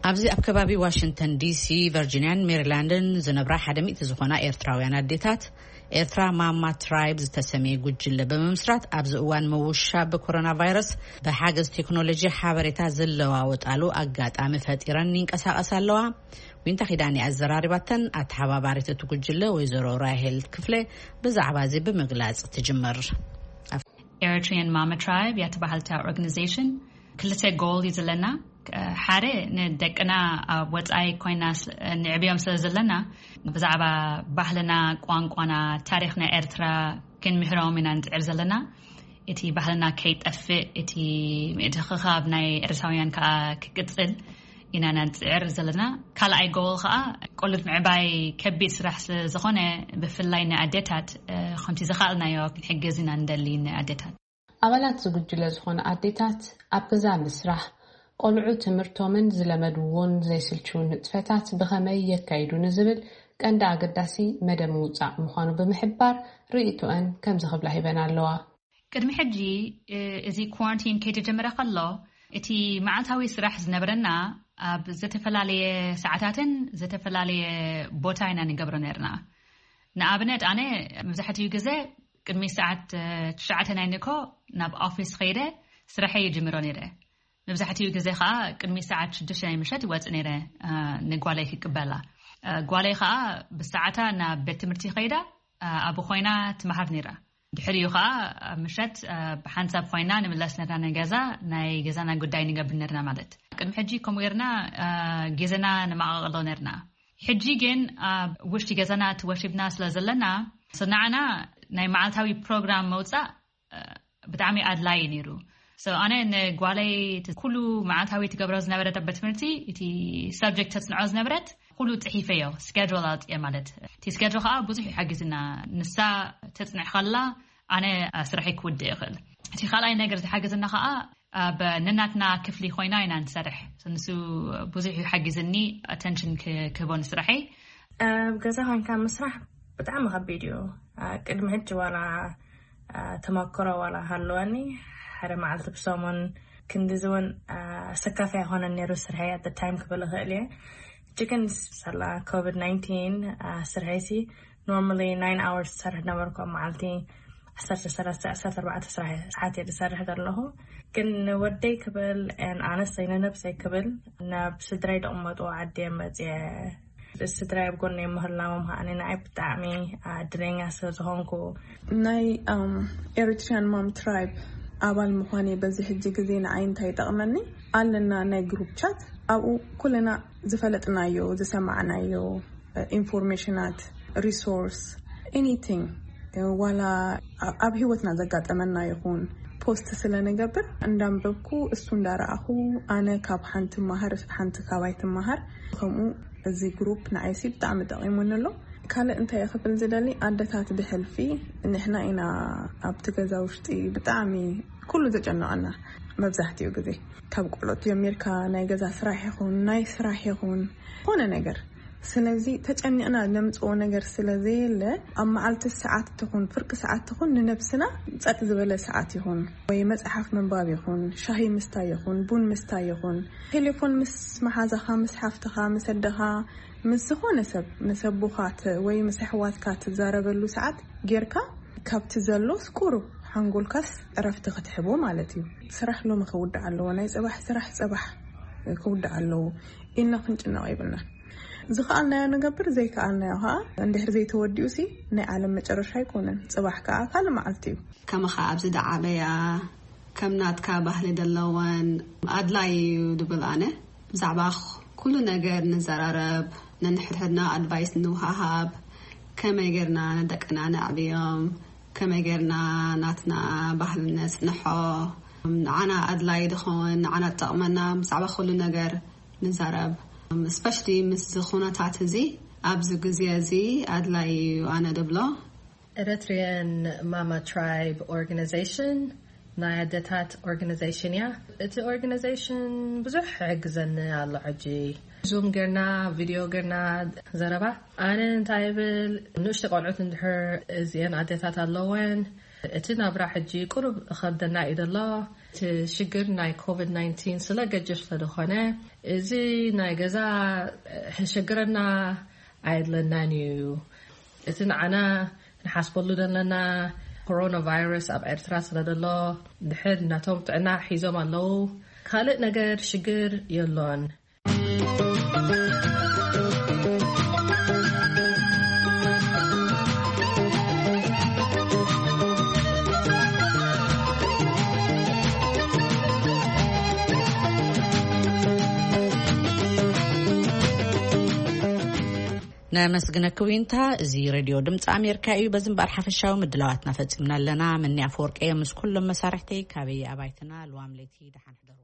ኣብዚ ኣብ ከባቢ ዋሽንግተን ዲሲ፣ ቨርጂንያን ሜሪላንድን ዝነብራ ሓደ ሚእቲ ዝኾና ኤርትራውያን ኣዴታት፣ ኤርትራ ማማ ትራይብ ዝተሰመየ ጉጅለ ብምምስራት ኣብዚ እዋን ምውሻብ ብኮሮና ቫይረስ ብሓገዝ ቴክኖሎጂ ሓበሬታ ዝለዋወጣሉ ኣጋጣሚ ፈጢረን ይንቀሳቐሳ ኣለዋ። ዊንታ ኪዳኒ ኣዘራሪባተን። ኣተሓባባሪት እቲ ጉጅለ ወይዘሮ ራሄል ክፍለ ብዛዕባ እዚ ብምግላጽ ትጅምር። Eritrean Mama Tribe እያ ትበሃል እታ ኦርጋኒዜሽን። ክልተ ጎል እዩ ዘለና። ሓደ፣ ንደቅና ኣብ ወጻኢ ኮይና ስ-፣ ንዕብዮም ስለ ዘለና ብዛዕባ ባህልና፣ ቋንቋና፣ ታሪኽና ኤርትራ ክንምህሮም ኢና ንጽዕር ዘለና። እቲ ባህልና ከይጠፍእ፣ እቲ ምትእኽኻብ ናይ ኤርትራውያን ከኣ ክቅጽል ኢና ንጽዕር ዘለና። ካልኣይ ጎል ከኣ ቆልዑት ምዕባይ ከቢድ ስራሕ ስለ ዝኾነ፣ ብፍላይ ንኣዴታት፣ እ፣ ከምቲ ዝኸኣልናዮ ክንሕግዝ ኢና ንደሊ ንኣዴታት። ኣባላት እዚ ጉጅለ ዝኾነ ኣዴታት ኣብ ገዛ ምስራሕ፣ ቆልዑ ትምህርቶምን ዝለመድዎን ዘይስልችውን ንጥፈታት ብኸመይ የካይዱ ንዝብል ቀንዲ ኣገዳሲ መደብ ምውጻእ ምዃኑ ብምሕባር ርእይቶአን ከምዚ ክብላ ሂበን ኣለዋ። ቅድሚ ሕጂ፣ እ፣ እዚ ኳራንቲን ከይተጀመረ ከሎ፣ እቲ መዓልታዊ ስራሕ ዝነበረና ኣብ ዝተፈላለየ ሰዓታትን ዝተፈላለየ ቦታ ኢና ንገብሮ ነርና። ንኣብነት፣ ኣነ መብዛሕትኡ ግዜ ቅድሚ ሰዓት፣ እ፣ ትሽዓተ ናይ ንግሆ ናብ ኦፊስ ኸይደ ስራሐይ ይጅምሮ ነይረ። መብዛሕትኡ ግዜ ኸኣ ቅድሚ ሰዓት ሽዱሽተ ናይ ምሸት ይወጽእ ነይረ፣ እ፣ ንጓለይ ክቅበላ። እ፣ ጓለይ ኸኣ ብሰዓታ ናብ ቤት ትምህርቲ ኸይዳ፣ እ፣ ኣብኡ ኮይና ትመሃር ነይራ። ድሕሪኡ ኸኣ ኣብ ምሸት፣ እ፣ ብሓንሳብ ኮይና ንምለስ ነርና ንገዛ፣ ናይ ገዛና ጉዳይ ንገብር ነርና ማለት። ቅድሚ ሕጂ ከምኡ ጌርና፣ እ፣ ግዜና ንመቓቐሎ ነርና። ሕጂ ግን ኣብ ውሽጢ ገዛና ተወሺብና ስለ ዘለና፣ ንዓና ናይ መዓልታዊ ፕሮግራም ምውጻእ፣ እ፣ ብጣዕሚ ኣድላዪ ነይሩ። So፣ ኣነ ንጓለይ እቲ ኩሉ መዓልታዊ ትገብሮ ዝነበረት ኣብ ቤት ትምህርቲ፣ እቲ ሳብጀክት ተጽንዖ ዝነበረት፣ ኩሉ ጽሒፈዮ፣ ስኬጁል ኣውጽኤ ማለት። እቲ ስኬጁል ኸኣ ብዙሕ ይሓግዝና። ንሳ ተጽንዕ ከላ፣ ኣነ ስራሐይ ክውድእ ይኽእል። እቲ ካልኣይ ነገር ዝሓገዘና ኸኣ፣ ኣብ ነናትና ክፍሊ ኮይና ኢና ንሰርሕ። ንሱ ብዙሕ ይሓግዝኒ፣ ኣተንሽን ክ-፣ ክህቦ ንስራሐይ። ኣብ ገዛ ኮይንካ ምስራሕ ብጣዕሚ ከቢድ እዩ። አ፣ ቅድሚ ሕጂ ዋላ፣ አ፣ ተመክሮ ዋላ ሃለወኒ፣ ሓደ መዓልቲ ብሰሙን ክንድዚ እውን፣ አ፣ ሰካፊ ኣይኮነን ነይሩ ስርሐይ at the time ክብል እኽእል እየ። ሕጂ ግን ሳላ ኮቪድ ናይንቲን፣ አ፣ ስርሐይሲ ኖርማሊ ናይን ኣወርስ ዝሰርሕ ነበርኩ ኣብ መዓልቲ። ዓሰርተ ሰለስተ፣ ዓሰርተ ኣርባዕተ ስራሕ ሰዓት እየ ዝሰርሕ ዘለኹ። ግን ንወደይ ክብል፣ and honestly ንነብሰይ ክብል ናብ ስድራይ ደቕመጥዎ ዓዲ እየ መፅየ። ስድራይ ኣብ ጎነይ ምህላዎም ከዓኒ ንዓይ ብጣዕሚ፣ አ፣ እድለኛ ስለ ዝኾንኩ። ናይ፣ ኣም፣ ኤሪትሪያን ማም ትራይብ ኣባል ምዃነይ በዚ ሕጂ ግዜ ንዓይ እንታይ ይጠቕመኒ? ኣለና ናይ ግሩፕ ቻት፣ ኣብኡ ኩልና ዝፈለጥናዮ፣ ዝሰማዕናዮ፣ ኢንፎርሜሽናት፣ ሪሶርስ፣ ኤኒቲንግ፣ ዋላ ኣብ ህይወትና ዘጋጠመና ይኹን ፖስት ስለ ንገብር እንዳንበብኩ፣ እሱ እንዳረኣኹ፣ ኣነ ካብ ሓንቲ መሃር፣ ሓንቲ ካባይ ትመሃር። ከምኡ እዚ ግሩፕ ንዓይሲ ብጣዕሚ ጠቒሙኒ ኣሎ። ካልእ እንታይ እየ ክብል ዝደሊ፣ ኣደታት ብሕልፊ ንሕና ኢና ኣብቲ ገዛ ውሽጢ ብጣዕሚ ኩሉ ዘጨነቐና። መብዛሕትኡ ግዜ ካብ ቆልዑት ጀሚርካ ናይ ገዛ ስራሕ ይኹን ናይ ስራሕ ይኹን ዝኾነ ነገር፣ ስለዚ ተጨኒቕና ነምፅኦ ነገር ስለ ዘየለ፣ ኣብ መዓልቲ ሰዓት ትኹን ፍርቂ ሰዓት ትኹን ንነብስና ጸጥ ዝበለ ሰዓት ይኹን ወይ መጽሓፍ ምንባብ ይኹን ሻሂ ምስታይ ይኹን ቡን ምስታይ ይኹን ቴሌፎን ምስ መሓዛኻ ምስ ሓፍትኻ ምስ ኣደኻ ምስ ዝኾነ ሰብ ምስ ኣቦኻ ት-፣ ወይ ምስ ኣሕዋትካ ትዛረበሉ ሰዓት ጌርካ ካብቲ ዘሎስ ቁሩብ ሓንጎልካስ ዕረፍቲ ክትሕቦ ማለት እዩ። ስራሕ ሎሚ ክውዳእ ኣለዎ፣ ናይ ጽባሕ ስራሕ ጽባሕ ክውዳእ ኣለዎ ኢልና ክንጭነቕ የብልናን። ዝኸኣልናዮ ንገብር፣ ዘይከኣልናዮ ኸኣ እንድሕር ዘይተወዲኡ ሲ ናይ ዓለም መጨረሻ ኣይኮነን። ጽባሕ ከኣ ካልእ መዓልቲ እዩ። ከማኻ ኣብዚ ደዓበያ ከም ናትካ ባህሊ ዘለወን ኣድላይ እዩ ድብል ኣነ። ብዛዕባ ኩሉ ነገር ንዘራረብ፣ ነንሕድሕድና ኣድቫይስ ንውሃሃብ፣ ከመይ ጌርና ንደቅና ነዕብዮም፣ ከመይ ጌርና ናትና ባህሊ ነጽንሖ፣ ንዓና ኣድላይ ድኸውን፣ ንዓና ጠቕመና፣ ብዛዕባ ኩሉ ነገር ንዛረብ። እስፐሽሊ ምስዚ ኩነታት እዚ ኣብዚ ግዜ እዚ ኣድላይ እዩ ኣነ ድብሎ። ኤረትርያን ማማ ትራይብ ኦርጋናይዜሽን ናይ ኣደታት ኦርጋናይዜሽን እያ። እቲ ኦርጋናይዜሽን ብዙሕ ይሕግዘኒ ኣሎ። ሕጂ ዙም ጌርና ቪድዮ ጌርና ዘረባ። ኣነ እንታይ ይብል፣ ንእሽቶ ቆልዑት እንድሕር እዚአን ኣደታት ኣለወን፣ እቲ ናብራ ሕጂ ቁሩብ እኸብደና እዩ ዘሎ። እቲ ሽግር ናይ ኮቪድ ናይንቲን ስለ ገጅፍ ስለ ዝኾነ፣ እዚ ናይ ገዛ ሕሸግረና ኣየድለናን እዩ። እቲ ንዓና ንሓስበሉ ዘለና ኮሮና ቫይረስ ኣብ ኤርትራ ስለ ዘሎ፣ ድሕር ናቶም ጥዕና ሒዞም ኣለዉ። ካልእ ነገር ሽግር የሎን። ነመስግነኪ ዊንታ። እዚ ሬድዮ ድምፂ ኣሜሪካ እዩ። በዚ እምበኣር ሓፈሻዊ ምድላዋትና ፈፂምና ኣለና። መኒ ኣፈወርቂ እየ ምስ ኩሎም መሳርሕተይ ካበይ ኣባይትና። ልዋም ለይቲ ደሓን ሕደሩ።